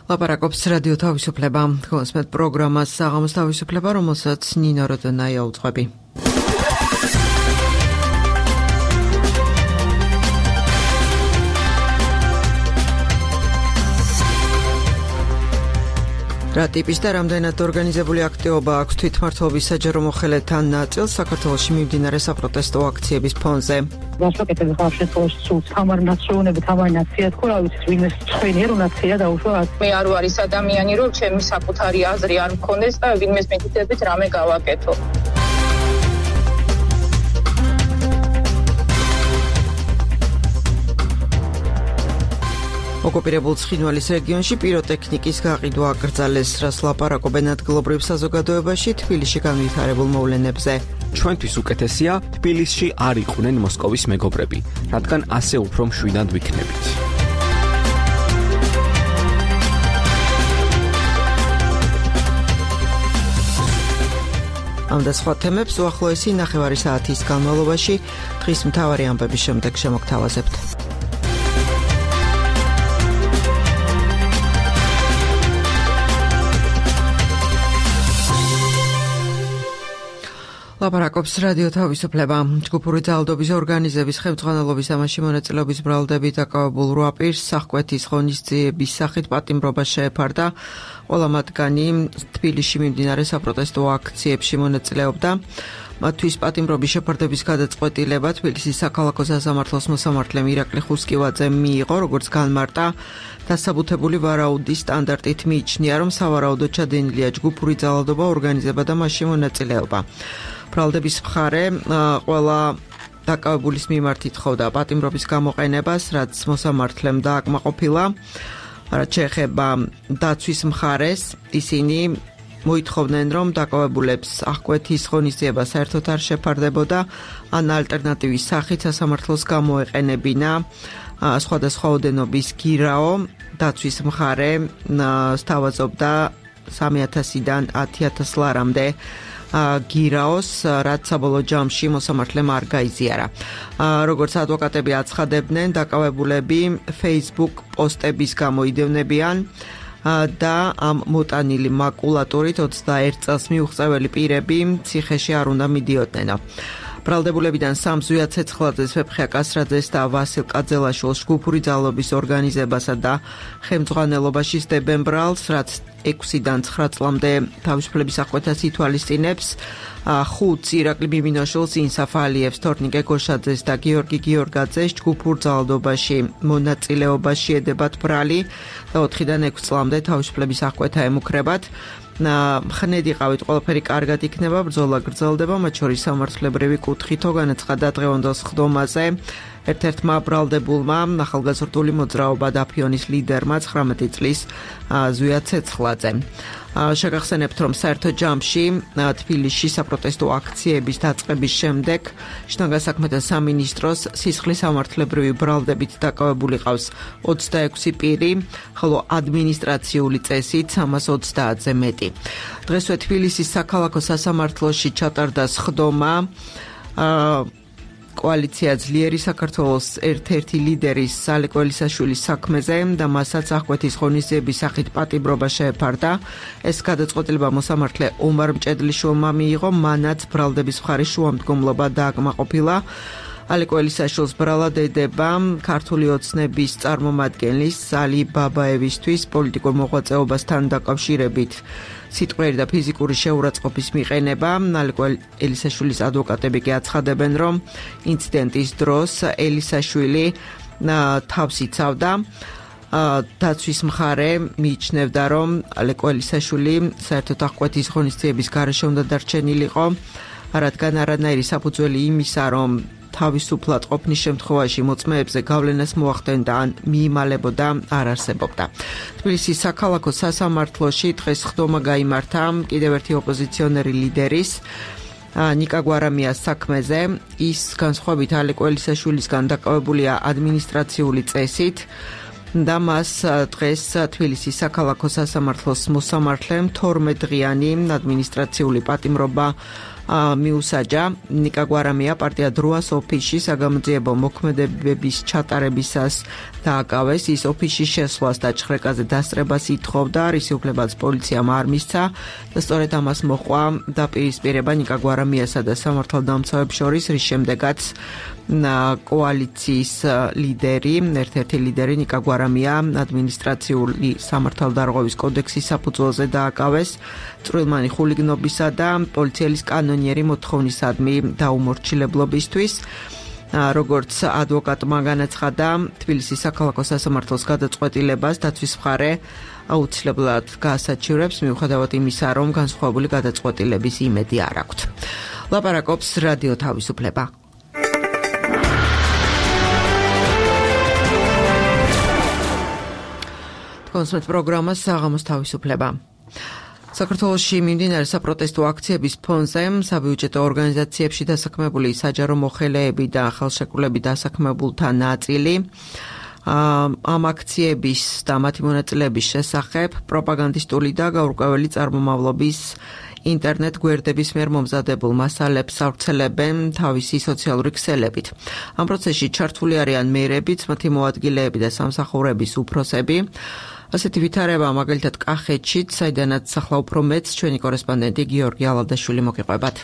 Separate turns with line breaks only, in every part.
ლაპარაკობს რადიო თავისუფლება. გულისხმობთ პროგრამას საღამოს თავისუფლება, რომელსაც ნინო როდონაია უძღვები. რა ტიპის და რამდენად ორგანიზებული აქტივობა აქვს თვითმმართველობის საჯარო მოხელეთა ნაწილს საქართველოში მიმდინარე საპროტესტო აქციების ფონზე?
გასაკეთებ ხარ შეწყოში სულ თამარ ნაციონები თამარ ნაცია თქო რა ვიცი ვინმე ჩვენი რო ნაცია დაუშვა
მე არ ვარ ის ადამიანი რომ ჩემი საკუთარი აზრი არ მქონდეს და ვინმეს მეთითებით რამე გავაკეთო.
ოკუპირებულ ცხინვალის რეგიონში პიროტექნიკის გაყიდვა აკრძალეს, რას ლაპარაკობენ ადგილობრივ საზოგადოებაში თბილისში განვითარებულ მოვლენებზე.
ჩვენთვის უკეთესია თბილისში არ იყვნენ მოსკოვის მეგობრები, რადგან ასე უფრო მშვიდად ვიქნებით.
ამ და სხვა თემებს უახლოესი ნახევარი საათის განმავლობაში დღის მთავარი ამბების შემდეგ შემოგთავაზებთ. ლაპარაკობს რადიო თავისუფლება. ჯგუფური ძალადობის ორგანიზების ხელმძღვანელობის ამაში მონაწილეობის ბრალდებით დაკავებულ 8 პირს სახკვეთის ღონისძიების სახით პატიმრობა შეეფარდა. ყველა მათგანი თბილისში მიმდინარე საპროტესტო აქციებში მონაწილეობდა. მათთვის პატიმრობის შეფარდების გადაწყვეტილება თბილისის საქალაქო სასამართლოს მოსამართლემ ირაკლი ხუსკივაძემ მიიღო, როგორც განმარტა, დასაბუთებული ვარაუდის სტანდარტით მიიჩნია, რომ სავარაუდოდ ჩადენილია ჯგუფური ძალადობა, ორგანიზება და მასში მონაწილეობა. ბრალდების მხარე ყველა დაკავებულის მიმართ ითხოვდა პატიმრობის გამოყენებას, რაც მოსამართლემ დააკმაყოფილა. რაც შეეხება დაცვის მხარეს, ისინი მოითხოვდნენ, რომ დაკავებულებს აღკვეთის ღონისძიება საერთოდ არ შეფარდებოდა, ან ალტერნატივის სახით სასამართლოს გამოეყენებინა სხვადასხვა ოდენობის გირაო. დაცვის მხარე სთავაზობდა 3000-დან 10000 ლარამდე გირაოს, რაც საბოლოო ჯამში მოსამართლემ არ გაიზიარა. როგორც ადვოკატები აცხადებდნენ, დაკავებულები Facebook პოსტების გამო იდევნებიან და ამ მოტანილი მაკულატურით 21 წელს მიუღწეველი პირები ციხეში არ უნდა მიდიოდნენ. ბრალდებულებიდან სამ ზვია ცეცხლაძეს, ვეფხია კასრაძეს და ვასილ კაძელაშვილს ჯგუფური ძალადობის ორგანიზებასა და ხელმძღვანელობაში სდებენ ბრალს, რაც 6-დან 9 წლამდე თავისუფლების აღკვეთას ითვალისწინებს. 5 ირაკლი ბიბინაშვილს, ინსაფ ალიევს, თორნიკე გოშაძეს და გიორგი გიორგაძეს ჯგუფურ ძალადობაში მონაწილეობაში ედებათ ბრალი და 4-დან 6 წლამდე თავისუფლების აღკვეთა ემუქრებათ. ხნედ იყავით, ყველაფერი კარგად იქნება, ბრძოლა გრძელდება, მათ შორის სამართლებრივი კუთხითო განაცხადა დღევანდელ სხდომაზე ერთ-ერთმა ბრალდებულმა ახალგაზრდული მოძრაობა დაფიონის ლიდერმა 19 წლის ზვია ცეცხლაძემ. შეგახსენებთ, რომ საერთო ჯამში თბილისში საპროტესტო აქციების დაწყების შემდეგ შინაგან საქმეთა სამინისტროს სისხლის სამართლებრივი ბრალდებით დაკავებული ყავს 26 პირი, ხოლო ადმინისტრაციული წესით 330-ზე მეტი. დღესვე თბილისის საქალაქო სასამართლოში ჩატარდა სხდომა კოალიცია ძლიერი საქართველოს ერთ-ერთი ლიდერის სალე კველისაშვილის საქმეზე და მასაც აღკვეთის ღონისძიების სახით პატიმრობა შეეფარდა. ეს გადაწყვეტილება მოსამართლე ომარ მჭედლიშვილმა მიიღო, მანაც ბრალდების მხარის შუამდგომლობა დააკმაყოფილა. ალე კველისაშვილს ბრალად ედება ქართული ოცნების წარმომადგენლის ალი ბაბაევისთვის პოლიტიკურ მოღვაწეობასთან დაკავშირებით სიტყვიერი და ფიზიკური შეურაცხყოფის მიყენება. ალე ელისაშვილის ადვოკატები კი აცხადებენ, რომ ინციდენტის დროს ელისაშვილი თავს იცავდა. დაცვის მხარე მიიჩნევდა, რომ ალე ელისაშვილი საერთოდ აღკვეთის ღონისძიების გარეშე უნდა დარჩენილიყო, რადგან არანაირი საფუძველი იმისა, რომ თავისუფლად ყოფნის შემთხვევაში მოწმეებზე გავლენას მოახდენდა ან მიიმალებოდა არ არსებობდა. თბილისის საქალაქო სასამართლოში დღეს სხდომა გაიმართა კიდევ ერთი ოპოზიციონერი ლიდერის ნიკა გვარამიას საქმეზე. ის განსხვავებით ალე კველისაშვილისგან დაკავებულია ადმინისტრაციული წესით და მას დღეს თბილისის საქალაქო სასამართლოს მოსამართლემ 12 დღიანი ადმინისტრაციული პატიმრობა მიუსაჯა. ნიკა გვარამია პარტია დროას ოფისში საგამოძიებო მოქმედებების ჩატარებისას დააკავეს. ის ოფისში შესვლას და ჭხრეკაზე დასწრებას ითხოვდა, რის უფლებაც პოლიციამ არ მისცა და სწორედ ამას მოჰყვა დაპირისპირება ნიკა გვარამიასა და სამართალდამცავებს შორის, რის შემდეგაც კოალიციის ლიდერი, ერთ-ერთი ლიდერი ნიკა გვარამია ადმინისტრაციული სამართალდარღვევის კოდექსის საფუძველზე დააკავეს წვრილმანი ხულიგნობისა და პოლიციელის კანონიერი მოთხოვნისადმი დაუმორჩილებლობისთვის. როგორც ადვოკატმა განაცხადა, თბილისის საქალაქო სასამართლოს გადაწყვეტილებას დაცვის მხარე აუცილებლად გაასაჩივრებს, მიუხედავად იმისა, რომ განსხვავებული გადაწყვეტილების იმედი არ აქვთ. ლაპარაკობს რადიო თავისუფლება. კონსმეთ პროგრამა საღამოს თავისუფლება. საქართველოში მიმდინარე საპროტესტო აქციების ფონზე საბიუჯეტო ორგანიზაციებში დასაქმებული საჯარო მოხელეები და ხელშეკრულებით დასაქმებულთა ნაწილი ამ აქციების და მათი მონაწილეების შესახებ პროპაგანდისტული და გაურკვეველი წარმომავლობის ინტერნეტ გვერდების მიერ მომზადებულ მასალებს ავრცელებენ თავისი სოციალური ქსელებით. ამ პროცესში ჩართული არიან მერებიც, მათი მოადგილეები და სამსახურების უფროსები. ასეთი ვითარება მაგალითად კახეთშიც, საიდანაც ახლა უფრო მეც ჩვენი კორესპონდენტი გიორგი ალავდაშვილი მოგიყვებათ.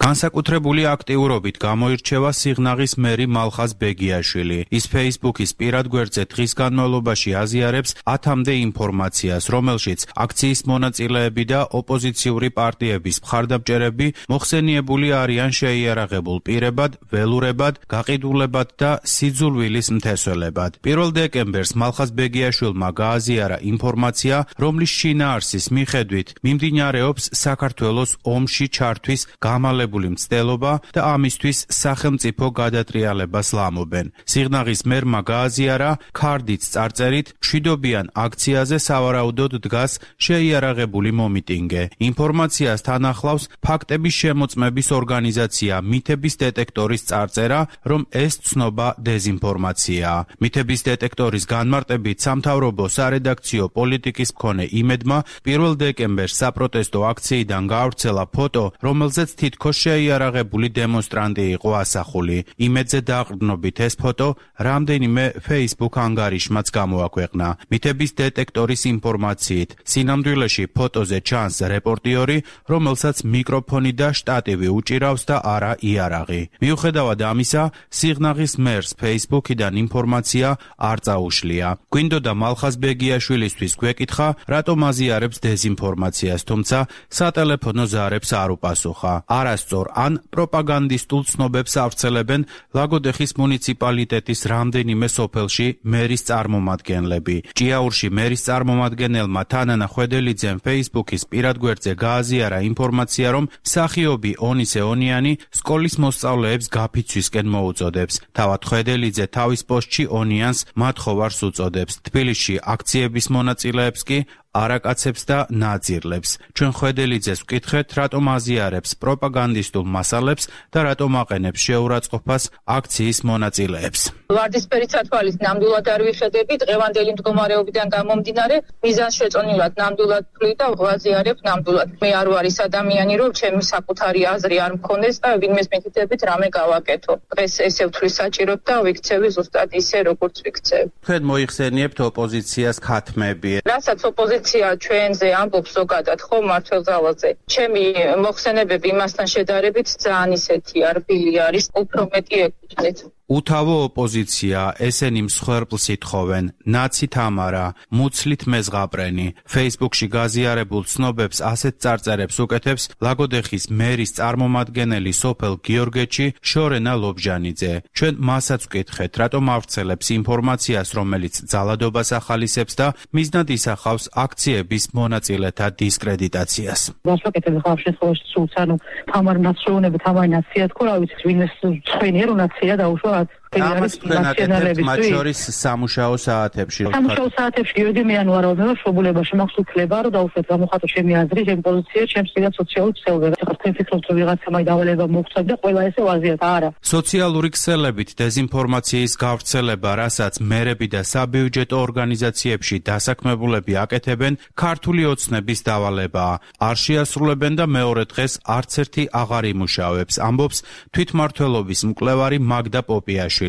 განსაკუთრებული აქტიურობით გამოირჩევა სიღნაღის მერი მალხაზ ბეგიაშვილი. ის Facebook-ის პირად გვერდზე დღის განმავლობაში აზიარებს 10-მდე ინფორმაციას, რომელშიც აქციის მონაწილეები და ოპოზიციური პარტიების მხარდამჭერები მოხსენიებული არიან შეიარაღებულ პირებად, ველურებად, გაყიდულებად და სიძულვილის მთესველებად. 1 დეკემბერს მალხაზ ბეგიაშვილმა გააზიარა ინფორმაცია, რომლის შინაარსის მიხედვით მიმდინარეობს საქართველოს ომში ჩართვის გამალებული მცდელობა და ამისთვის სახელმწიფო გადატრიალებას ლამობენ. სიღნაღის მერმა გააზიარა ქარდით წარწერით მშვიდობიან აქციაზე სავარაუდოდ დგას შეიარაღებული მომიტინგე. ინფორმაციას თან ახლავს ფაქტების შემოწმების ორგანიზაცია მითების დეტექტორის წარწერა, რომ ეს ცნობა დეზინფორმაციაა. მითების დეტექტორის განმარტებით სამთავრობო სარედაქციო პოლიტიკის მქონე იმედმა 1 დეკემბერს საპროტესტო აქციიდან გაავრცელა ფოტო, რომელზეც თითქოს შეიარაღებული დემონსტრანტი იყო ასახული. იმედზე დაყრდნობით ეს ფოტო რამდენიმე Facebook ანგარიშმაც გამოაქვეყნა. მითების დეტექტორის ინფორმაციით, სინამდვილეში ფოტოზე ჩანს რეპორტიორი, რომელსაც მიკროფონი და შტატივი უჭირავს და არა იარაღი. მიუხედავად ამისა, სიღნაღის მერს Facebook-იდან ინფორმაცია არ წაუშლია. გვინდოდა მალხაზ ბეგიაშვილისთვის გვეკითხა, რატომ აზიარებს დეზინფორმაციას, თუმცა სატელეფონო ზარებს არ უპასუხა. არასწორ ან პროპაგანდისტულ ცნობებს ავრცელებენ ლაგოდეხის მუნიციპალიტეტის რამდენიმე სოფელში მერის წარმომადგენლები. ჭიაურში მერის წარმომადგენელმა თანანა ხვედელიძემ Facebook-ის პირად გვერდზე გააზიარა ინფორმაცია, რომ მსახიობი ონისე ონიანი სკოლის მოსწავლეებს გაფიცვისკენ მოუწოდებს. თავად ხვედელიძე თავის პოსტში ონიანს მათხოვარს უწოდებს. თბილისში აქციების მონაწილეებს კი არაკაცებს და ნაძირლებს. ჩვენ ხვედელიძეს ვკითხეთ, რატომ აზიარებს პროპაგანდისტულ მასალებს და რატომ აყენებს შეურაცხყოფას აქციის მონაწილეებს.
ვარდისფერი ცათვალის ნამდვილად არ ვიხედები, დღევანდელი მდგომარეობიდან გამომდინარე, მიზანშეწონილად ნამდვილად ვთვლი და ვაზიარებ ნამდვილად. მე არ ვარის ადამიანი, რომ ჩემი საკუთარი აზრი არ მქონდეს და ვინმეს მითითებით რამე გავაკეთო. დღეს ესე ვთვლი საჭიროდ და ვიქცევი ზუსტად ისე, როგორც ვიქცევ.
თქვენ მოიხსენიებთ ოპოზიციას ქათმები.
რასაც ოპოზიცია ჩვენზე ამბობს ზოგადად ხო მართლმსავალზე. ჩემი მოხსენებები იმასთან შედარებით ძალიან ისეთი არბილი არის, უფრო მეტი ეკუთვნით.
უთავო ოპოზიცია, ესენი მსხვერპლს ითხოვენ, ნაცი თამარა, მუცლით მეზღაპრენი. Facebook-ში გაზიარებულ ცნობებს ასეთ წარწერებს უკეთებს ლაგოდეხის მერის წარმომადგენელი სოფელ გიორგეთში შორენა ლობჟანიძე. ჩვენ მასაც ვკითხეთ, რატომ ავრცელებს ინფორმაციას, რომელიც ძალადობას ახალისებს და მიზნად ისახავს აქციების მონაწილეთა დისკრედიტაციას.
გასაკეთებ ხარ შესაძლოა სულს, ანუ თამარ ნაციონები, თამარ ნაცია თქო, რა ვიცი, ვინმეს ცხენია, რომ ნაცია დაუშვა
ამას თქვენ აკეთებთ მათ შორის სამუშაო საათებში.
სამუშაო საათებში ირდი მე ანუ არავითარ შობულებაში მაქვს უფლება რომ დავუშვათ გამოხატო ჩემი აზრი, ჩემი პოზიცია, ჩემს სიგა სოციალურ ქსელებებს. ეხლა თქვენ ფიქრობთ რომ ვიღაცა მაი დავალება მოხდა და ყველა ესე ვაზიათ, არა.
სოციალური ქსელებით დეზინფორმაციის გავრცელება, რასაც მერები და საბიუჯეტო ორგანიზაციებში დასაქმებულები აკეთებენ, ქართული ოცნების დავალებაა. არ შეასრულებენ და მეორე დღეს არც ერთი აღარ იმუშავებს, ამბობს თვითმმართველობის მკვლევარი მაგდა პოპიაშვილი.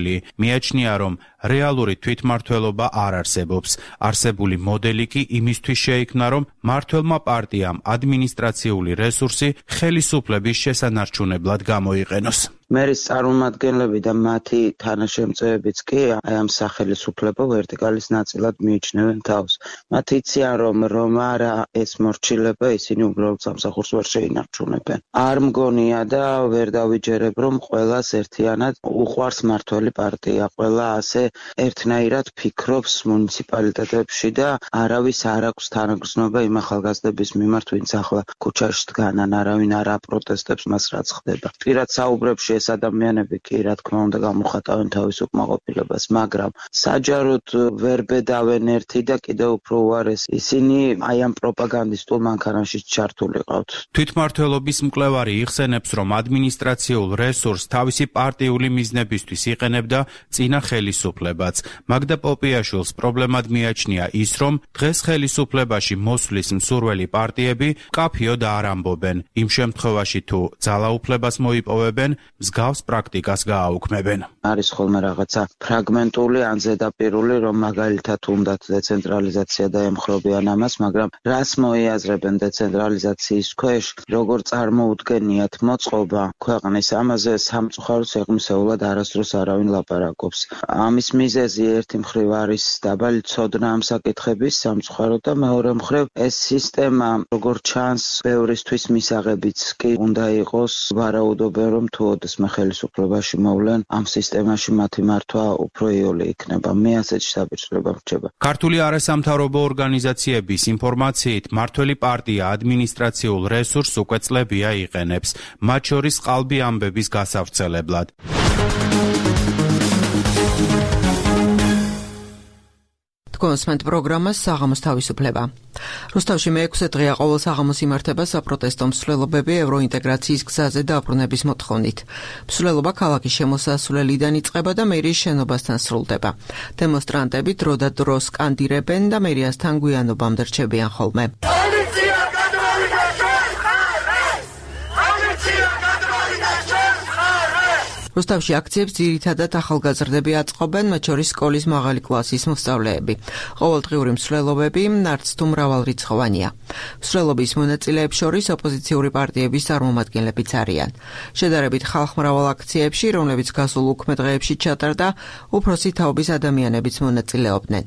მიაჩნია, რომ რეალური თვითმმართველობა არ არსებობს. არსებული მოდელი კი იმისთვის შეიქმნა, რომ მმართველმა პარტიამ ადმინისტრაციული რესურსი ხელისუფლების შესანარჩუნებლად გამოიყენოს.
მერის წარმომადგენლები და მათი თანაშემწეებიც კი აი ამ სახელისუფლებო ვერტიკალის ნაწილად მიიჩნევენ თავს. მათ იციან, რომ არა ეს მორჩილება, ისინი უბრალოდ სამსახურს ვერ შეინარჩუნებენ. არ მგონია და ვერ დავიჯერებ, რომ ყველას ერთიანად უყვარს მმართველი პარტია. ყველა ასე ერთნაირად ფიქრობს მუნიციპალიტეტებში და არავის არ აქვს თანაგრძნობა იმ ახალგაზრდების მიმართ, ვინც ახლა ქუჩაში დგანან, არავინ არ აპროტესტებს მას რაც ხდება. პირად საუბრებში ეს ადამიანები კი რა თქმა უნდა გამოხატავენ თავის უკმაყოფილებას, მაგრამ საჯაროდ ვერ ბედავენ ერთი და კიდევ უფრო უარეს ისინი აი ამ პროპაგანდისტულ მანქანაში ჩართული ყავთ.
თვითმმართველობის მკვლევარი იხსენებს, რომ ადმინისტრაციულ რესურსს თავისი პარტიული მიზნებისთვის იყენებდა წინა ხელისუფლებაც. მაგდა პოპიაშვილს პრობლემად მიაჩნია ის, რომ დღეს ხელისუფლებაში მოსვლის მსურველი პარტიები კაფიოდ არ ამბობენ. იმ შემთხვევაში თუ ძალაუფლებას მოიპოვებენ, მსგავს პრაქტიკას გააუქმებენ.
არის ხოლმე რაღაცა ფრაგმენტული ან ზედაპირული, რომ მაგალითად უნდათ დეცენტრალიზაცია და ემხრობიან ამას, მაგრამ რას მოიაზრებენ დეცენტრალიზაციის ქვეშ, როგორ წარმოუდგენიათ მოწყობა ქვეყნის, ამაზე სამწუხაროდ სიღრმისეულად არასდროს არავინ ლაპარაკობს. ამის მიზეზი ერთი მხრივ არის დაბალი ცოდნა ამ საკითხების სამწუხაროდ და მეორე მხრივ ეს სისტემა როგორ ჩანს ბევრისთვის მისაღებიც კი უნდა იყოს, ვარაუდობენ რომ თუ ოდესმე ხელისუფლებაში მოვლენ, ამ სისტემაში მათი მართვა უფრო იოლი იქნება. მე ასეთი საბჭოება მრჩება.
ქართული არასამთავრობო ორგანიზაციების ინფორმაციით, მმართველი პარტია ადმინისტრაციულ რესურსს უკვე წლებია იყენებს, მათ შორის ყალბი ამბების გასავრცელებლად.
კონსმენტ პროგრამას საღამოს თავისუფლება. რუსთავში მე-6 დღეა ყოველ საღამოს იმართება საპროტესტო მსვლელობები ევროინტეგრაციის გზაზე დაბრუნების მოთხოვნით. მსვლელობა ქალაქის შემოსასვლელიდან იწყება და მერიის შენობასთან სრულდება. დემონსტრანტები დრო და დრო სკანდირებენ და მერიასთან გვიანობამდე რჩებიან ხოლმე. რუსთავში აქციებს ძირითადად ახალგაზრდები აწყობენ, მათ შორის სკოლის მაღალი კლასის მოსწავლეები. ყოველდღიური მსვლელობები არც თუ მრავალრიცხოვანია. მსვლელობის მონაწილეებს შორის ოპოზიციური პარტიების წარმომადგენლებიც არიან. შედარებით ხალხმრავალ აქციებში, რომლებიც გასულ უქმე დღეებში ჩატარდა, უფროსი თაობის ადამიანებიც მონაწილეობდნენ.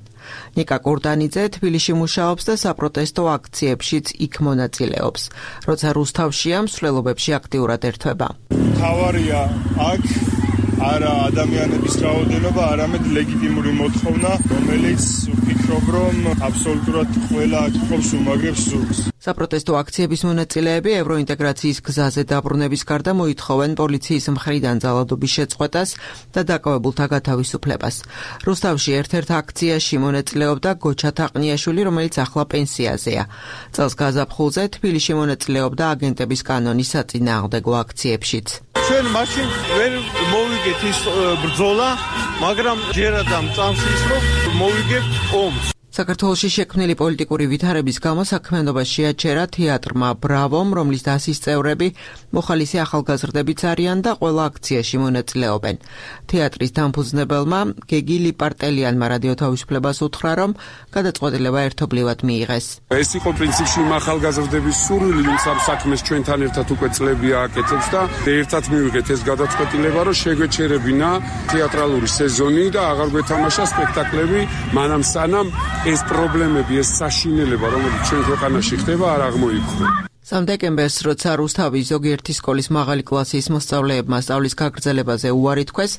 ნიკა კურდანიძე თბილისში მუშაობს და საპროტესტო აქციებშიც იქ მონაწილეობს. როცა რუსთავშია, მსვლელობებში აქტიურად ერთვება.
თავარია აქ არა ადამიანების რაოდენობა, არამედ ლეგიტიმური მოთხოვნა, რომელიც ვფიქრობ, რომ აბსოლუტურად ყველა აქ ყოფს უმაგრებს ზურგს.
საპროტესტო აქციების მონაწილეები ევროინტეგრაციის გზაზე დაბრუნების გარდა მოითხოვენ პოლიციის მხრიდან ძალადობის შეწყვეტას და დაკავებულთა გათავისუფლებას. რუსთავში ერთ-ერთ აქციაში მონაწილეობდა გოჩა თაყნიაშვილი, რომელიც ახლა პენსიაზეა. წელს გაზაფხულზე თბილისში მონაწილეობდა აგენტების კანონის საწინააღმდეგო აქციებშიც.
ჩვენ მაშინ ვერ მოვიგეთ ის ბრძოლა, მაგრამ ჯერად ამ წამს ის რომ მოვიგეთ ომს.
საქართველოში შექმნილი პოლიტიკური ვითარების გამო საქმიანობას შეაჩერა თეატრმა ბრავომ, რომლის დასის წევრები მოხალისე ახალგაზრდებიც არიან და ყველა აქციაში მონაწილეობენ. თეატრის დამფუძნებელმა გეგი ლიპარტელიანმა რადიო თავისუფლებას უთხრა, რომ გადაწყვეტილება ერთობლივად მიიღეს.
ეს იყო პრინციპში ახალგაზრდების სურვილი, ვინც ამ საქმეს ჩვენთან ერთად უკვე წლები აკეთებს და ერთად მივიღეთ ეს გადაწყვეტილება, რომ შეგვეჩერებინა თეატრალური სეზონი და აღარ გვეთამაშა სპექტაკლები, მანამ სანამ ეს პრობლემები, ეს საშინელება, რომელიც ჩვენ ქვეყანაში ხდება, არ აღმოიფხვრა.
3 დეკემბერს, როცა რუსთავის ზოგიერთი სკოლის მაღალი კლასის მოსწავლეებმა სწავლის გაგრძელებაზე უარი თქვეს,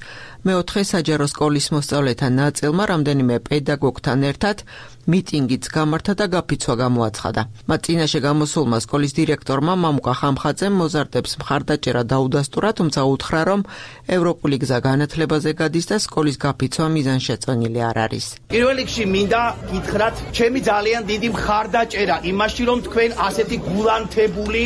მე-4 საჯარო სკოლის მოსწავლეთა ნაწილმა რამდენიმე პედაგოგთან ერთად მიტინგიც გამართა და გაფიცვა გამოაცხადა. მათ წინაშე გამოსულმა სკოლის დირექტორმა მამუკა ხამხაძემ მოზარდებს მხარდაჭერა დაუდასტურა, თუმცა უთხრა, რომ ევროპული გზა განათლებაზე გადის და სკოლის გაფიცვა მიზანშეწონილი არ არის.
პირველ რიგში მინდა გითხრათ, ჩემი ძალიან დიდი მხარდაჭერა იმაში, რომ თქვენ ასეთი გულანთებული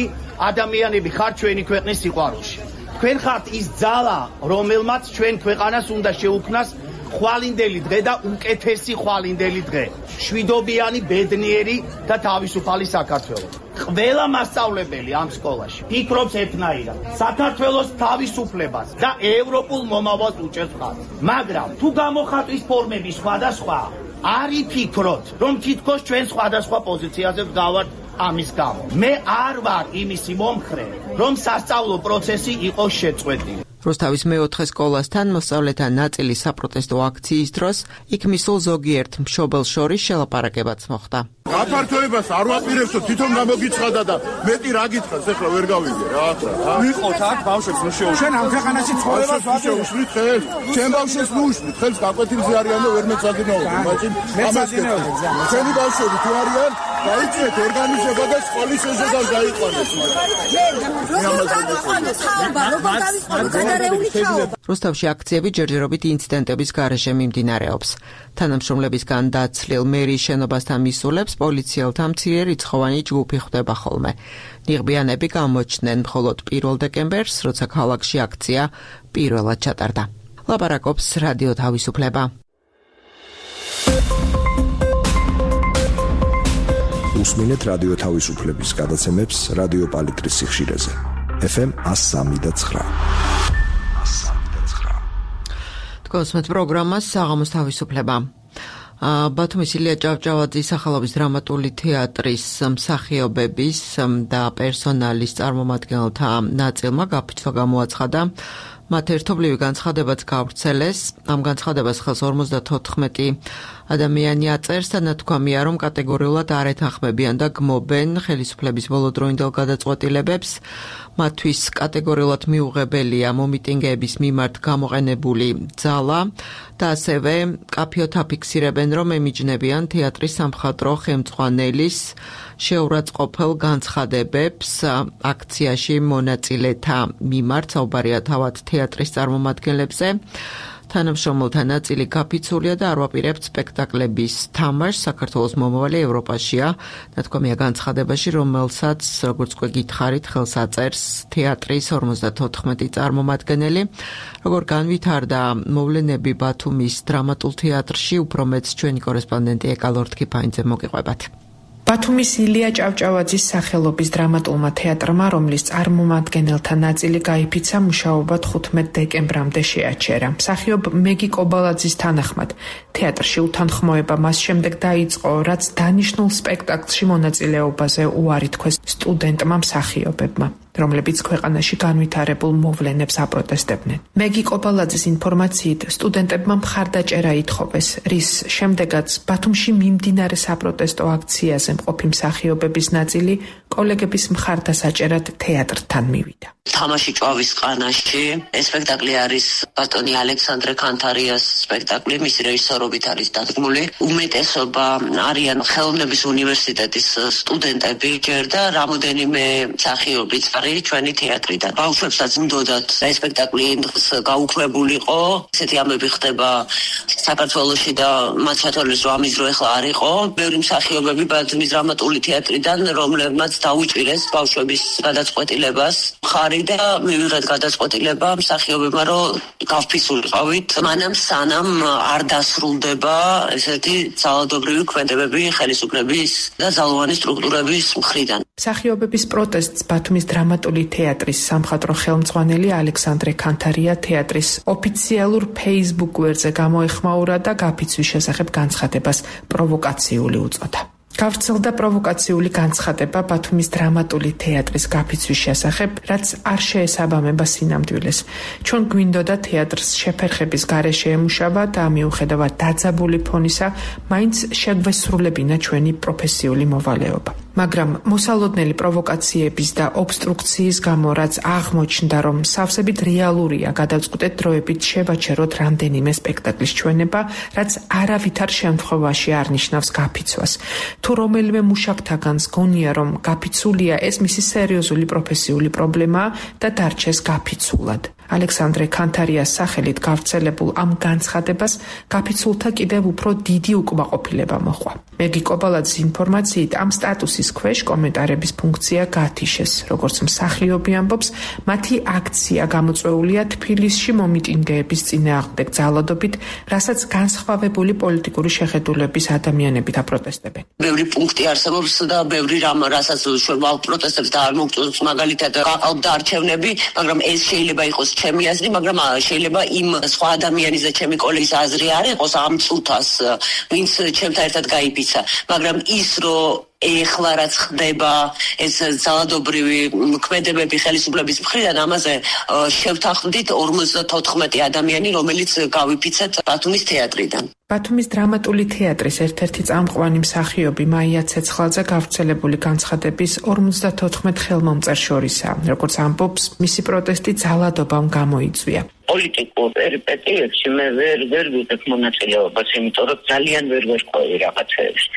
ადამიანები ხართ ჩვენი ქვეყნის სიყვარულში. თქვენ ხართ ის ძალა, რომელმაც ჩვენ ქვეყანას უნდა შეუქმნას ხვალინდელი დღე და უკეთესი ხვალინდელი დღე. შვიდობიანი, ბედნიერი და თავისუფალი საქართველო. ყველა მასწავლებელი ამ სკოლაში ფიქრობს ერთნაირად. საქართველოს თავისუფლებას და ევროპულ მომავალს უჭერს ხაზს. მაგრამ თუ გამოხატვის ფორმები სხვადასხვა, არ იფიქროთ, რომ თითქოს ჩვენ სხვადასხვა პოზიციაზე ვდგავართ ამის გამო. მე არ ვარ იმისი მომხრე, რომ სასწავლო პროცესი იყოს შეწყვეტილი.
რუსთავის მეოთხე სკოლასთან მოსწავლეთა ნაწილი საპროტესტო აქციის დროს იქ მისულ ზოგიერთ მშობელს შორის შელაპარაკებაც მოხდა.
გაფართოებას არ ვაპირებსო, თვითონ გამოგიცხადა და მეტი რა გითხრას, ეხლა ვერ გავიგე რა ახლა.
ვიყოთ აქ ბავშვებს ნუ შეუშ. შენ ამ ქვეყანაში ცხოვრებას
შეუშლით ხელს. ჩემ ბავშვებს ნუ უშლით ხელს, გაკვეთილზე არიან და ვერ მეცადინაობენ. მაგრამ ამას ჩვენი ბავშვები თუ არიან, დაიწყეთ ორგანიზება და სკოლის ეზოდან დაიყვანეს.
რუსთავში აქციები ჯერჯერობით ინციდენტების გარეშე მიმდინარეობს. თანამშრომლებისგან დაცლილ მერის შენობასთან მისულებს პოლიციელთა მცირე რიცხოვანი ჯგუფი ხვდება ხოლმე. ნიღბიანები გამოჩნდნენ მხოლოდ 1 დეკემბერს, როცა ქალაქში აქცია პირველად ჩატარდა. ლაპარაკობს რადიო თავისუფლება.
უსმინეთ რადიო თავისუფლების გადაცემებს რადიო პალიტრის სიხშირეზე. FM 103.9.
გოსმეთ პროგრამას საღამოს თავისუფლება. ბათუმის ილია ჭავჭავაძის სახელობის დრამატული თეატრის მსახიობების და პერსონალის წარმომადგენელთა ნაწილმა გაფიცვა გამოაცხადა. მათ ერთობლივი განცხადებაც გავრცელეს. ამ განცხადებას ხელს 54 ადამიანი აწერს და ნათქვამია, რომ კატეგორიულად არ ეთანხმებიან და გმობენ ხელისუფლების ბოლოდროინდელ გადაწყვეტილებებს. მათთვის კატეგორიულად მიუღებელია მომიტინგეების მიმართ გამოყენებული ძალა და ასევე კაფიოთ აფიქსირებენ, რომ ემიჯნებიან თეატრის სამხატვრო ხელმძღვანელის შეურაცხყოფელ განცხადებებს აქციაში მონაწილეთა მიმართ. საუბარია თავად თეატრის წარმომადგენლებზე. თანამშრომელთა ნაწილი გაფიცულია და არ ვაპირებთ სპექტაკლების თამაშს. საქართველოს მომავალი ევროპაშია. ნათქვამია განცხადებაში, რომელსაც, როგორც უკვე გითხარით, ხელს აწერს თეატრის 54 წარმომადგენელი. როგორ განვითარდა მოვლენები ბათუმის დრამატულ თეატრში, უფრო მეც ჩვენი კორესპონდენტი ეკა ლორთქიფაინძე მოგიყვებათ.
ბათუმის ილია ჭავჭავაძის სახელობის დრამატულმა თეატრმა, რომლის წარმომადგენელთა ნაწილი გაიფიცა, მუშაობა 15 დეკემბრამდე შეაჩერა. მსახიობ მეგი კობალაძის თანახმად, თეატრში უთანხმოება მას შემდეგ დაიწყო, რაც დანიშნულ სპექტაკლში მონაწილეობაზე უარი თქვეს სტუდენტმა მსახიობებმა, რომლებიც ქვეყანაში განვითარებულ მოვლენებს აპროტესტებდნენ. მეგი კობალაძის ინფორმაციით, სტუდენტებმა მხარდაჭერა ითხოვეს, რის შემდეგაც ბათუმში მიმდინარე საპროტესტო აქციაზე მყოფი მსახიობების ნაწილი კოლეგების მხარდასაჭერად თეატრთან მივიდა.
თამაში ჭვავის ყანაში ეს სპექტაკლი არის ბატონი ალექსანდრე კანთარიას სპექტაკლი, მისი რეჟისორობით არის დადგმული. უმეტესობა არიან ხელოვნების უნივერსიტეტის სტუდენტები ჯერ და რამოდენიმე მსახიობიც არის ჩვენი თეატრიდან. ბავშვებსაც მდოდათ ეს სპექტაკლი გაუქმებულიყო. ესეთი ამბები ხდება საქართველოში და მათ შეთვალეს რომ ამის დრო ახლა არ იყო. ბევრი მსახიობები ბათუმის დრამატული თეატრიდან, რომლებმაც დაუჭირეს ბავშვების გადაწყვეტილებას. ხარი და მივიღეთ გადაწყვეტილება მსახიობებმა, რომ გავფიცულიყავით, მანამ სანამ არ დასრულდება ესეთი ძალადობრივი ქმედებები ხელისუფლების და ძალოვანი სტრუქტურების მხრიდან.
მსახიობების პროტესტს ბათუმის დრამატული თეატრის სამხატვრო ხელმძღვანელი ალექსანდრე კანთარია თეატრის ოფიციალურ Facebook გვერდზე გამოეხმაურა და გაფიცვის შესახებ განცხადებას პროვოკაციული უწოდა. გავრცელდა პროვოკაციული განცხადება ბათუმის დრამატული თეატრის გაფიცვის შესახებ, რაც არ შეესაბამება სინამდვილეს. ჩვენ გვინდოდა თეატრს შეფერხების გარეშე ემუშავა და მიუხედავად დაძაბული ფონისა, მაინც შეგვესრულებინა ჩვენი პროფესიული მოვალეობა. მაგრამ მოსალოდნელი პროვოკაციების და ობსტრუქციის გამო, რაც აღმოჩნდა, რომ სავსებით რეალურია, გადავწყვიტეთ დროებით შევაჩეროთ რამდენიმე სპექტაკლის ჩვენება, რაც არავითარ შემთხვევაში არ ნიშნავს გაფიცვას. თუ რომელიმე მუშაკთაგანს გონია, რომ გაფიცულია, ეს მისი სერიოზული პროფესიული პრობლემაა და დარჩეს გაფიცულად. ალექსანდრე ქანთარიას სახელით გავრცელებულ ამ განცხადებას გაფიცულთა კიდევ უფრო დიდი უკმაყოფილება მოჰყვა. მეგი კობალაძის ინფორმაციით ამ სტატუსის ქვეშ კომენტარების ფუნქცია გათიშეს. როგორც მსახიობი ამბობს, მათი აქცია გამოწვეულია თბილისში მომიტინგეების წინააღმდეგ ძალადობით, რასაც განსხვავებული პოლიტიკური შეხედულების ადამიანები დაპროტესტებენ.
ბევრი პუნქტი არსებობს და ბევრი რამ, რასაც ჩვენ ვაპროტესტებთ და არ მოგწონს, მაგალითად გაყავდა არჩევნები, მაგრამ ეს შეიძლება იყოს ჩემი აზრი, მაგრამ შეიძლება იმ სხვა ადამიანის და ჩემი კოლეგის აზრი არ იყოს ამ წუთას, ვინც ჩემთან ერთად გაიფიცა, მაგრამ ის რომ ეხლა რაც ხდება ეს ძალადობრივი ქმედებები ხელისუფლების მხრიდან, ამაზე შევთანხმდით 54 ადამიანი, რომელიც გავიფიცეთ ბათუმის თეატრიდან.
ბათუმის დრამატული თეატრის ერთ-ერთი წამყვანი მსახიობი მაია ცეცხლაძე გავრცელებული განცხადების 54 ხელმომწერ შორისაა. როგორც ამბობს, მისი პროტესტი ძალადობამ გამოიწვია.
პოლიტიკურ პერიპეტიებში მე ვერ ვიღებ მონაწილეობას, იმიტომ რომ ძალიან ვერ ვერკვევი რაღაცეებში.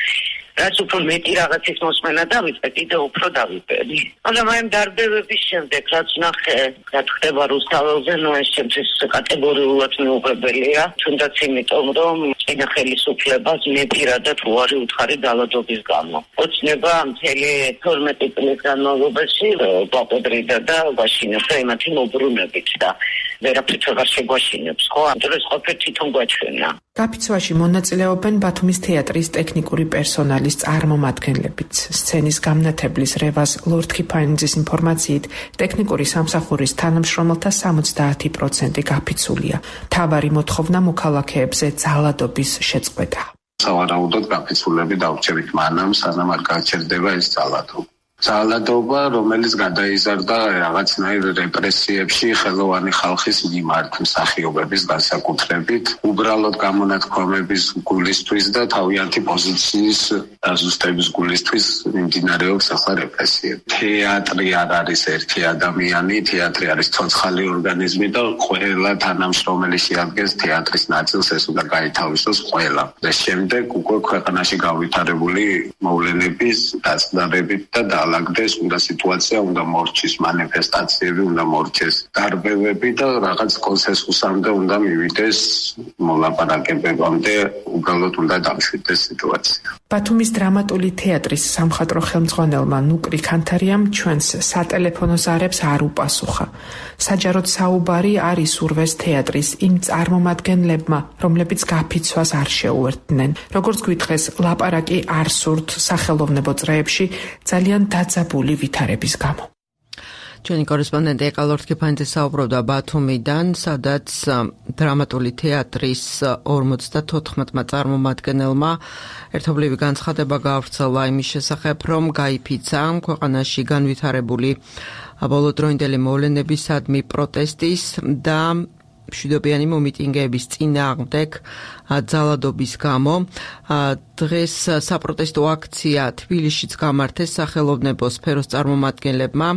რაც უფრო მეტი რაღაცის მოსმენა დავიწყე, კიდევ უფრო დავიპერი. მაგრამ აი ამ დარბევების შემდეგ, რაც ნახე, რა ხდება რუსთაველზე, ეს ჩემთვის კატეგორიულად მიუღებელია, თუნდაც იმიტომ, რომ წინა ხელისუფლებას მე პირადად უარი უთხარი ძალადობის გამო. ოცნება მთელი 12 წლის განმავლობაში გვაყედრიდა და გვაშინებდა იმათი მოbrunებით და ვერაფრით აღარ შეგვაშინებს, ხო? ამიტომ ეს ყოფილი თვითონ გვაჩვენა.
გაფიცვაში მონაწილეობენ ბათუმის თეატრის ტექნიკური პერსონალის წარმომადგენლებიც. სცენის გამნათებლის რევაზ ლორდ-ქიფაინიძის ინფორმაციით, ტექნიკური სამსახურის თანამშრომელთა 70% გაფიცულია. მთავარი მოთხოვნა მოქალაქეებზე ძალადობის შეწყვეტა.
სავარაუდოდ გაფიცულები დავრჩებით მანამ, სანამ არ გაჩერდება ეს ძალადობა. ძალადობა, რომელიც გადაიზარდა რაღაცნაირ რეპრესიებში ხელოვანი ხალხის მიმართ მსახიობების განსაკუთრებით, უბრალოდ გამონათქვამების გულისთვის და თავიანთი პოზიციის დაზუსტების გულისთვის მიმდინარეობს ახლა რეპრესიები. თეატრი არ არის ერთი ადამიანი, თეატრი არის ცოცხალი ორგანიზმი და ყველა თანამშრომელი შეადგენს თეატრის ნაწილს, ეს უნდა გაითავისოს ყველა. და შემდეგ უკვე ქვეყანაში გავითარებული მოვლენების დაწნარებით და ალაგდეს, უნდა სიტუაცია უნდა მორჩის, მანიფესტაციები უნდა მორჩეს, დარბევები და რაღაც კონსენსუსამდე უნდა მივიდეს, მოლაპარაკებებამდე უბრალოდ უნდა დამშვიდეს სიტუაცია.
ბათუმის დრამატული თეატრის სამხატვრო ხელმძღვანელმა ნუკრი ქანთარიამ ჩვენს სატელეფონო ზარებს არ უპასუხა. საჯაროდ საუბარი არ ისურვეს თეატრის იმ წარმომადგენლებმა, რომლებიც გაფიცვას არ შეუერთდნენ. როგორც გვითხრეს, ლაპარაკი არ სურთ სახელოვნებო წრეებში ძალიან დაძაბული ვითარების გამო.
ჩვენი კორესპონდენტი ეკა ლორდ-ქიფაინიძე საუბრობდა ბათუმიდან, სადაც დრამატული თეატრის 54 წარმომადგენელმა ერთობლივი განცხადება გავრცელა იმის შესახებ, რომ გაიფიცა ქვეყანაში განვითარებული ბოლოდროინდელი მოვლენებისადმი პროტესტის და მშვიდობიანი მომიტინგეების წინააღმდეგ ძალადობის გამო. დღეს საპროტესტო აქცია თბილისშიც გამართეს სახელოვნებო სფეროს წარმომადგენლებმა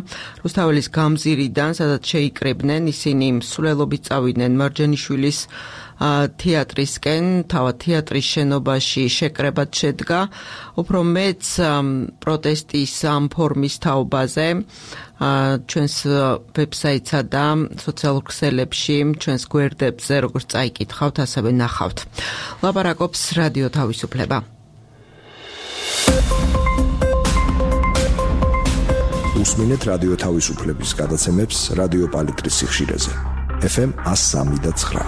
რუსთაველის გამზირიდან, სადაც შეიკრიბნენ, ისინი მსვლელობით წავიდნენ მარჯანიშვილის თეატრისკენ, თავად თეატრის შენობაში შეკრებად შედგა. უფრო მეც პროტესტის ამ ფორმის თაობაზე ჩვენს ვებსაიტსა და სოციალურ ქსელებში, ჩვენს გვერდებზე, როგორც წაიკითხავთ, ასევე ნახავთ. ლაპარაკობს რადიო თავისუფლება.
უსმინეთ რადიო თავისუფლების გადაცემებს რადიო პალიტრის სიხშირეზე. FM 103.9.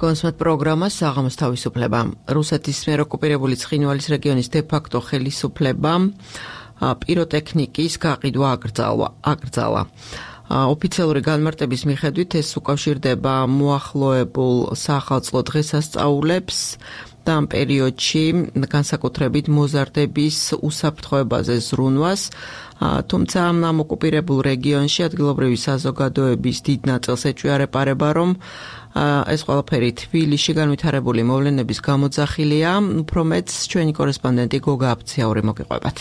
კონსმეთ პროგრამა საღამოს თავისუფლება. რუსეთის მიერ ოკუპირებული ცხინვალის რეგიონის დე-ფაქტო ხელისუფლება პიროტექნიკის გაყიდვა აკრძალა. ოფიციალური განმარტების მიხედვით ეს უკავშირდება მოახლოებულ საახალწლო დღესასწაულებს და ამ პერიოდში განსაკუთრებით მოზარდების უსაფრთხოებაზე ზრუნვას, თუმცა ამ ოკუპირებულ რეგიონში ადგილობრივი საზოგადოების დიდ ნაწილს ეჭვიარეპარება, რომ ეს ყველაფერი თბილისში განვითარებული მოვლენების გამოძახილია. უფრო მეტს ჩვენი კორესპონდენტი გოგა აფციაური მოგიყვებათ.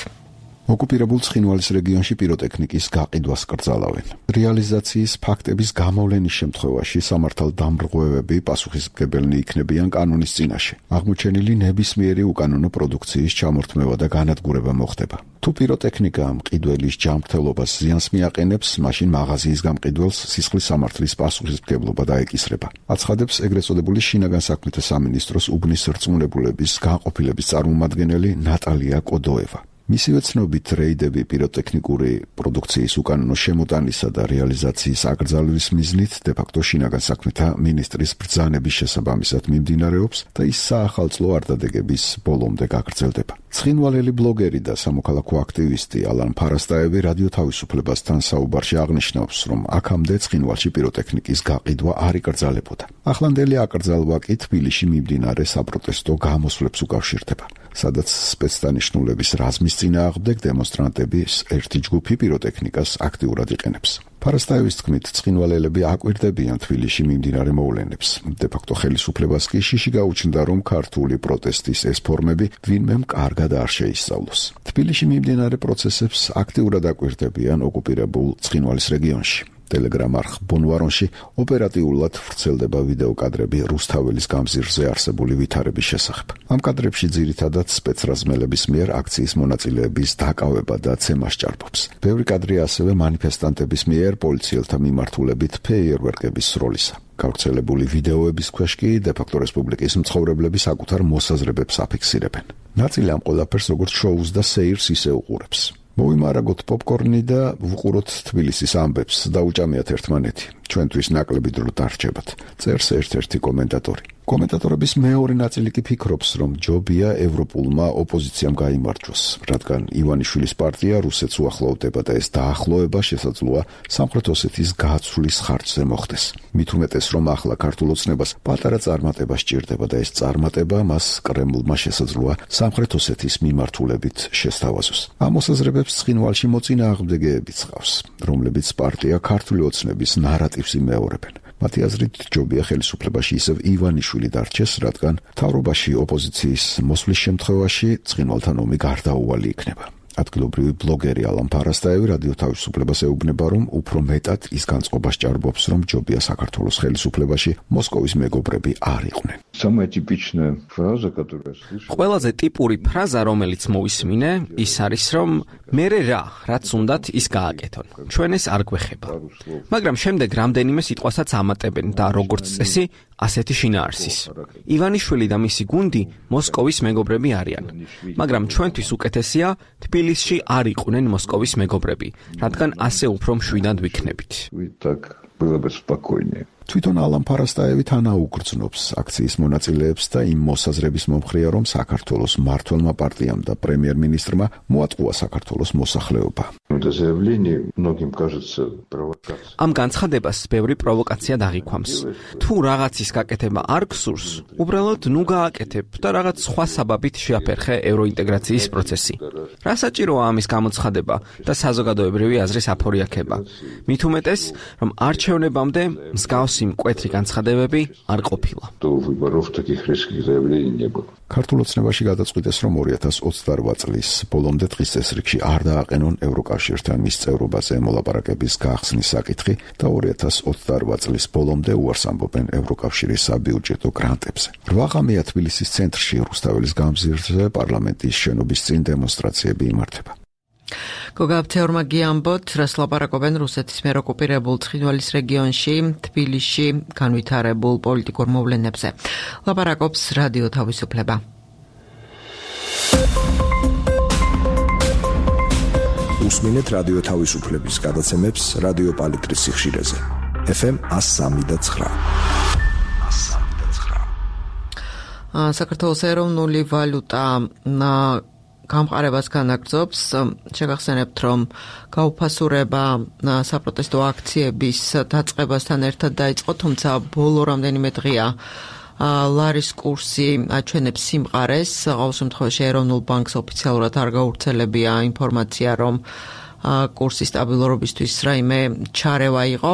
ოკუპირებულ ცხინვალის რეგიონში პიროტექნიკის გაყიდვას კრძალავენ. რეალიზაციის ფაქტების გამოვლენის შემთხვევაში სამართალდამრღვევები პასუხისმგებელნი იქნებიან კანონის წინაშე. აღმოჩენილი ნებისმიერი უკანონო პროდუქციის ჩამორთმევა და განადგურება მოხდება. თუ პიროტექნიკა მყიდველის ჯანმრთელობას ზიანს მიაყენებს, მაშინ მაღაზიის გამყიდველს სისხლის სამართლის პასუხისმგებლობა დაეკისრება. აცხადებს ეგრეთ წოდებული შინაგან საქმეთა სამინისტროს უბნის რწმუნებულების განყოფილების წარმომადგენელი ნატალია კოდოევა. მისივე ცნობით რეიდები პიროტექნიკური პროდუქციის უკანონო შემოტანისა და რეალიზაციის აკრძალვის მიზნით დე-ფაქტო შინაგან საქმეთა მინისტრის ბრძანების შესაბამისად მიმდინარეობს და ის საახალწლო არდადეგების ბოლომდე გაგრძელდება. ცხინვალელი ბლოგერი და სამოქალაქო აქტივისტი ალან ფარასტაევი რადიო თავისუფლებასთან საუბარში აღნიშნავს, რომ აქამდე ცხინვალში პიროტექნიკის გაყიდვა არ იკრძალებოდა. ახლანდელი აკრძალვა კი თბილისში მიმდინარე საპროტესტო გამოსვლებს უკავშირდება, სადაც სპეცდანიშნულების რაზმის წინააღმდეგ დემონსტრანტების ერთი ჯგუფი პიროტექნიკას აქტიურად იყენებს. ფარასტაევის თქმით, ცხინვალელები აკვირდებიან თბილისში მიმდინარე მოვლენებს. დე-ფაქტო ხელისუფლებას კი შიში გაუჩნდა, რომ ქართული პროტესტის ეს ფორმები ვინმემ კარგად არ შეისწავლოს. თბილისში მიმდინარე პროცესებს აქტიურად აკვირდებიან ოკუპირებულ ცხინვალის რეგიონში. Telegram არხ ბონვარონში ოპერატიულად ვრცელდება ვიდეო კადრები რუსთაველის გამზირზე არსებული ვითარების შესახებ. ამ კადრებში ძირითადად სპეცრაზმელების მიერ აქციის მონაწილეების დაკავება და ცემა სჭარბობს. ბევრი კადრი ასევე მანიფესტანტების მიერ პოლიციელთა მიმართულებით ფეიერვერკების სროლისა. გავრცელებული ვიდეოების ქვეშ კი დე-ფაქტო რესპუბლიკის მცხოვრებლები საკუთარ მოსაზრებებს აფიქსირებენ. ნაწილი ამ ყველაფერს როგორც შოუს და სეირს ისე უყურებს. მოვიმარაგოთ პოპკორნი და ვუყუროთ თბილისის ამბებს და უჭამიათ ერთმანეთი. ჩვენთვის ნაკლები დრო დარჩებათ. წერს ერთ-ერთი კომენტატორი. კომენტატორების მეორე ნაწილი კი ფიქრობს, რომ ჯობია ევროპულმა ოპოზიციამ გაიმარჯვოს, რადგან ივანიშვილის პარტია რუსეთს უახლოვდება და ეს დაახლოება შესაძლოა სამხრეთ ოსეთის გაცვლის ხარჯზე მოხდეს. მით უმეტეს, რომ ახლა ქართულ ოცნებას პატარა წარმატება სჭირდება და ეს წარმატება მას კრემლმა შესაძლოა სამხრეთ ოსეთის მიმართულებით შესთავაზოს. ამ მოსაზრებებს ცხინვალში მოწინააღმდეგეებიც ჰყავს, რომლებიც პარტია ქართული ოცნების ნარატივს იმეორებენ. მათი აზრით ჯობია ხელისუფლებაში ისევ ივანიშვილი დარჩეს, რადგან მთავრობაში ოპოზიციის მოსვლის შემთხვევაში ცხინვალთან ომი გარდაუვალი იქნება. ადგილობრივი ბლოგერი ალან ფარასტაევი რადიო თავისუფლებას ეუბნება, რომ უფრო მეტად ის განწყობა სჭარბობს, რომ ჯობია საქართველოს ხელისუფლებაში მოსკოვის მეგობრები არ იყვნენ.
ყველაზე ტიპური ფრაზა, რომელიც მოვისმინე, ის არის, რომ მერე რაც უნდათ ის გააკეთონ. ჩვენ ეს არ გვეხება. მაგრამ შემდეგ რამდენიმე სიტყვასაც ამატებენ და როგორც წესი, ასეთი შინაარსის. ივანიშვილი და მისი გუნდი მოსკოვის მეგობრები არიან. მაგრამ ჩვენთვის უკეთესია თბილისში არ იყვნენ მოსკოვის მეგობრები, რადგან ასე უფრო მშვიდად ვიქნებით.
თვითონ ალან ფარასტაევი თანაუგრძნობს აქციის მონაწილეებს და იმ მოსაზრების მომხრეა, რომ საქართველოს მმართველმა პარტიამ და პრემიერ-მინისტრმა მოატყუა საქართველოს მოსახლეობა.
ამ განცხადებას ბევრი პროვოკაცია დაღიქვამს. თუ რაღაცის გაკეთება არ გსურს, უბრალოდ ნუ გააკეთებ და რაღაც სხვა საბაბით შეაფერხე ევროინტეგრაციის პროცესი. რა საჭიროა ამის გამოცხადება და საზოგადოებრივი აზრის აფორიაქება? მით უმეტეს, რომ არჩევნებამდე მსგავსი მკვეთრი განცხადებები არ ყოფილა.
ქართულ ოცნებაში გადაწყვიტეს, რომ 2028 წლის ბოლომდე დღის წესრიგში არ დააყენონ ევროკავშირთან მის წევრობაზე მოლაპარაკების გახსნის საკითხი და 2028 წლის ბოლომდე უარს ამბობენ ევროკავშირის საბიუჯეტო გრანტებზე. 8 ღამეა თბილისის ცენტრში რუსთაველის გამზირზე პარლამენტის შენობის წინ დემონსტრაციები იმართება.
გოგაბცეორმა გიამბოთ, რას ლაპარაკობენ რუსეთის მიერ ოკუპირებულ ცხინვალის რეგიონში, თბილისში განვითარებულ პოლიტიკურ მოვლენებზე. ლაპარაკობს რადიო თავისუფლება.
უსმინეთ რადიო თავისუფლების გადაცემებს რადიო პალიტრის სიხშირეზე. FM 103.9.
საქართველოს ეროვნული ვალუტა გამყარებას განაგრძობს. შეგახსენებთ, რომ გაუფასურება საპროტესტო აქციების დაწყებასთან ერთად დაიწყო, თუმცა ბოლო რამდენიმე დღეა ლარის კურსი აჩვენებს სიმყარეს. ყოველ შემთხვევაში ეროვნულ ბანკს ოფიციალურად არ გავრცელებია ინფორმაცია, რომ კურსის სტაბილურობისთვის რაიმე ჩარევა იყო.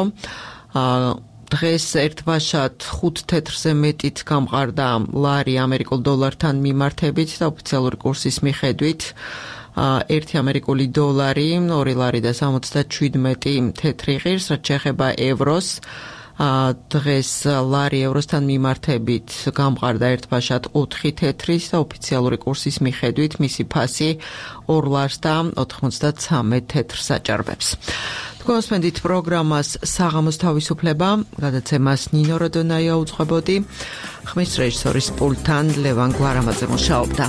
დღეს ერთბაშად 5 თეთრზე მეტით გამყარდა ლარი ამერიკულ დოლართან მიმართებით და ოფიციალური კურსის მიხედვით 1 ამერიკული დოლარი 2 ლარი და 77 თეთრი ღირს, რაც შეეხება ევროს. დღეს ლარი ევროსთან მიმართებით გამყარდა ერთბაშად 4 თეთრის და ოფიციალური კურსის მიხედვით მისი ფასი 2 ლარს და 93 თეთრს აჭარბებს. თქვენსმენდით პროგრამას საღამოს თავისუფლება, გადაცემას ნინო როდონაია უძღვებოდი, ხმის რეჟისორის პულტთან ლევან გვარამაძე მუშაობდა.